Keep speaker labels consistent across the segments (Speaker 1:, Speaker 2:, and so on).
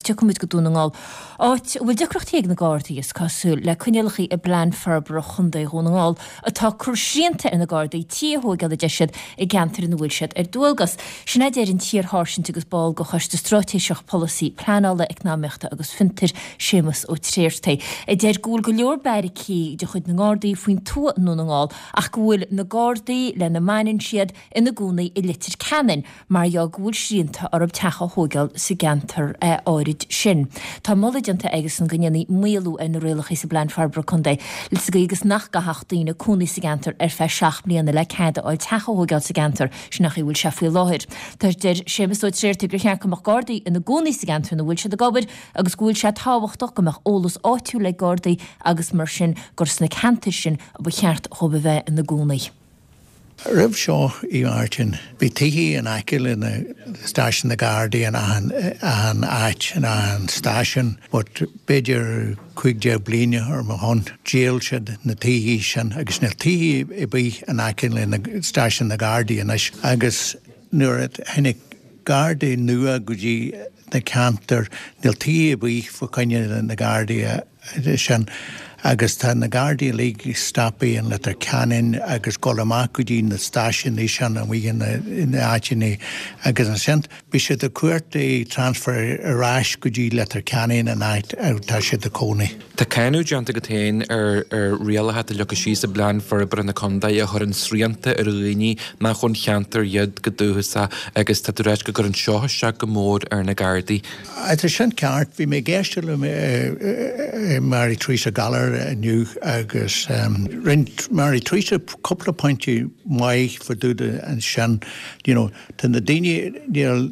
Speaker 1: tiocfaidh muid go Dún na nGall, áit a bhfuil deacrachtaí ag na Gardaí, is cosúil, le coinníollacha i bPlean Forbartha Chontae Dhún na nGall atá ag cur srianta ar na Gardaí tithe a thóigeáil, a deir siad, i gceantair ina bhfuil siad ar dualgas. Sin a deir an t-iar-sháirsint agus ball de Choiste Straitéiseach Polasaí Pleanála, Eacnamaíochta agus Fiontair, Séamus Ó Tréartaigh, a deir go bhfuil go leor beairicí de chuid na nGardaí faoin tuath i nDún na nGall ach go bhfuil na Gardaí lena mbaineann siad ina gcónaí i Leitir Ceanainn mar gheall go bhfuil srianta orthu teach a thóigeáil sa gceantar áirid sin. Tá moladh déanta aigesan go ndéanfaí maolú ar na rialacha sa bPlean Forbartha Contae sa gcaoi agus nach gcaithfeadh daoine cónaí sa gceantar ar feadh 7 mbliana le cead a fháil teach a thóigeáil sa gceantar, sin an chaoi a bhfuil sé faoi láthair. Tá deir Séamus Ó Tréartaigh gur cheart go mbeadh Gardaí ina gcónaí sa gceantar ina bhfuil siad ag obair agus go bhfuil sé tábhachtach go mbeadh eolas áitiúil ag Gardaí agus mar sin gur sna ceantair sin a ba cheart dhóibh a bheith ina gcónaí.
Speaker 2: Roimh seo, a Mháirtín, bhí tithe in aice le na stáisiún na Gardaí in achan, achan áit, in achan stáisiún, but b'fhéidir 15 bliain ar mo shon, dhíol siad na tithe sin agus níl tithe ar bith in aice le na stáisiún na Gardaí anois agus nuair a tháinig Gardaí nua go dtí na ceantair, níl tithe ar bith fá choinne na Gardaí a. sin agus tá na Gardaí uilig ag stopadh in Leitir Ceanainn agus dul amach go dtí na stáisiúnaí sin amuigh in na áiteanna agus ansin bhí siad ag cuartú transfer ar ais go dtí Leitir Ceanainn an áit atá siad ag cónaí.
Speaker 3: Tá cáineadh déanta agat féin ar ar rialacha atá leagtha síos i bPlean Forbartha na Contae a chuireann srianta ar dhaoine nach ón cheantar iad go dúchasach agus tá tú ag ráit go gcuireann seo isteach go mór ar na Gardaí.
Speaker 2: Tá sin ceart. Bhí mé ag éisteacht le Mary Theresa Gallagher inniu agus rinne Mary Theresa cúpla pointe maith fá dtaobh de ansin. You know, tá na daoine, níl,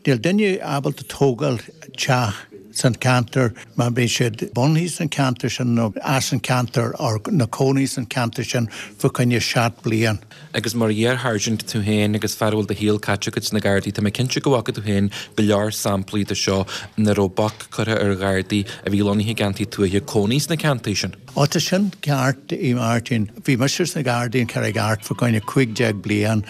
Speaker 2: níl duine ábalta tógáil teach san ceantar má bhí siad bunaithe san ceantar sin nó as an ceantar or na cónaí san ceantar sin fá choinne 7 bliain.
Speaker 3: Agus mar iar-sháirsint tú féin agus fear a bhfuil do shaol caite agat sna Gardaí, tá mé cinnte go bhfaca tú féin go leor samplaí de seo ina raibh bac curtha ar Ghardaí a bhí lonnaithe i gceantair tuaithe cónaí sna ceantair sin.
Speaker 2: Ó tá sin ceart, a Mháirtín. Bhí mise sna Gardaí in Carraig Airt fá choinne 15 bliain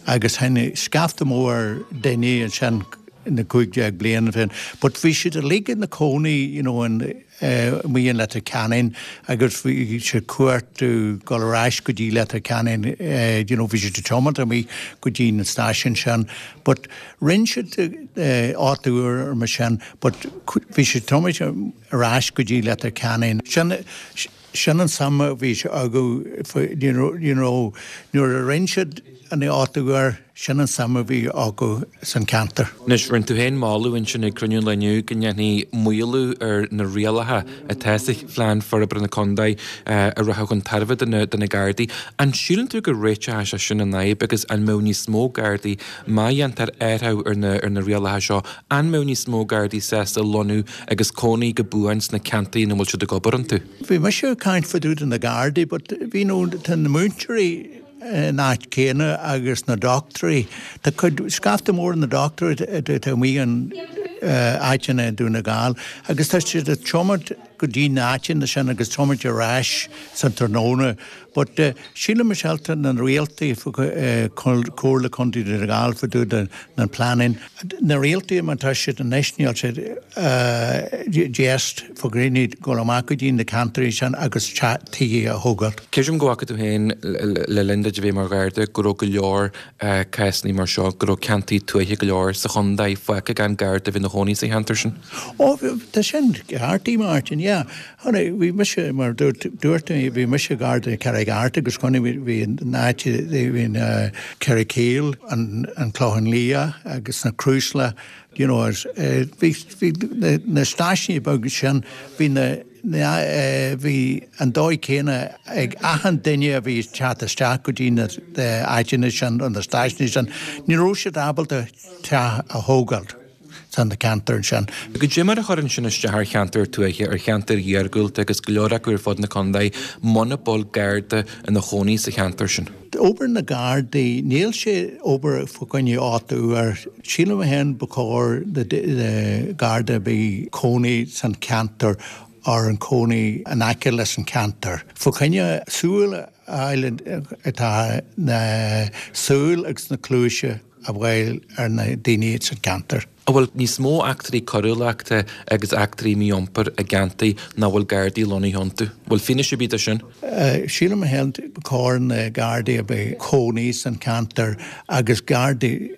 Speaker 2: agus tháinig scaifte mór daoine ansin na 15 bliain féin but bhí siad uilig ina cónaí you know in amuigh in Leitir Ceanainn agus bhí siad ag cuartú dul ar ais go dtí Leitir Ceanainn you know bhí siad ag tiomáint amuigh go dtí na stáisiúin sin but rinne siad áit úr mar sin but bhí siad ag tiomáint ar ais go dtí Leitir Ceanainn. Sin sin an suim a bhí acu you know nuair a rinne siad an áit úr Sin an suim a bhí acu san ceantar.
Speaker 3: Anois, rinne tú féin moladh ansin ag cruinniú an lae inniu go ndéanfaí maolú ar na rialacha atá sa Phlean Forbartha na Contae a rachadh chun tairbhe do na Gardaí. An síleann tú go réiteoidh sé sin an fhadhb agus an mbeadh níos mó Gardaí, má dhéantar athrú ar na rialacha seo, an mbeadh níos mó Gardaí sásta lonnú agus cónaí go buan sna ceantair ina bhfuil siad ag obair iontu?
Speaker 2: Bhí mise ag caint fá dtaobh de na Gardaí but bhí nó tá na múinteoirí, in áit céanna agus na dochtúirí. Tá cuid, scaifte mór na dochtúirí atá amuigh in áiteanna i Dún na Gall agus tá siad ag tiomáint go dtí na áiteanna sin agus tiomáint ar ais san tráthnóna. But sílim myself tá na rialtaí Comhairle Contae Dhún na Gall fá dtaobh de na pleananna. Na rialtaí mar tá siad anois níl siad just fá choinne dul amach go dtí na ceantair sin agus tithe a thógáil.
Speaker 3: Creidim go bhfaca tú féin le linn duit a bheith mar Gharda go raibh go leor cásanna mar seo, go raibh ceantair tuaithe go leor sa chontae fágtha gan Garda a bheith ina chónaí sa cheantar sin.
Speaker 2: Ó, tá sin ceart, a Mháirtín, yeah. Chonaic, bhí mise, mar dúirt, dúirt mé, bhí mise Garda i Carraig Airt agus chonaic, bhí, bhí an áit, bhí an Carrigkeel, an, an Clochán Liath agus na Crúsla, you know, is, bhí, bhí na, na stáisiúin beaga sin, bhí na, na, bhí an dóigh céanna ag achan duine a bhí ag teacht isteach go dtí na, na áiteanna sin, na stáisiúin sin, ní raibh siad ábalta teach a thógáil. san ceantar
Speaker 3: sin. Goidé mar a chuireann sin isteach ar cheantair tuaithe, ar cheantair iargúlta agus go leor acu ar fud na contae, muna bhfuil Garda ina chónaí sa cheantar sin.
Speaker 2: Obair na Gardaí, níl sé obair fá choinne áit úr. Sílim féin ba chóir do Garda a bheith cónaí san ceantar or an cónaí in aice leis an ceantar. Fá choinne súil a fháil atá na súil agus na cluaise a bhfuil ar na daoine sa gceantar.
Speaker 3: An bhfuil níos mó eachtraí coiriúlachta agus eachtraí mí-iompair i gceantair nach bhfuil Gardaí lonnaithe iontu? Bhfuil fianaise ar bith de sin?
Speaker 2: Sílim féin ba chóir na Gardaí a bheith cónaí san ceantar agus Gardaí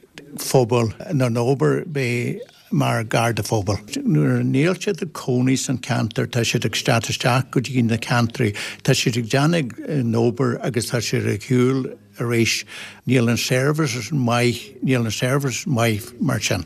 Speaker 2: phobail na n-obair bheith mar Garda phobail. Nuair a níl siad ag cónaí san ceantar tá siad ag teacht isteach go dtí na ceantraí, tá siad ag déanamh an obair agus tá siad ag shiúl arís. Níl an service maith, níl an service maith mar sin.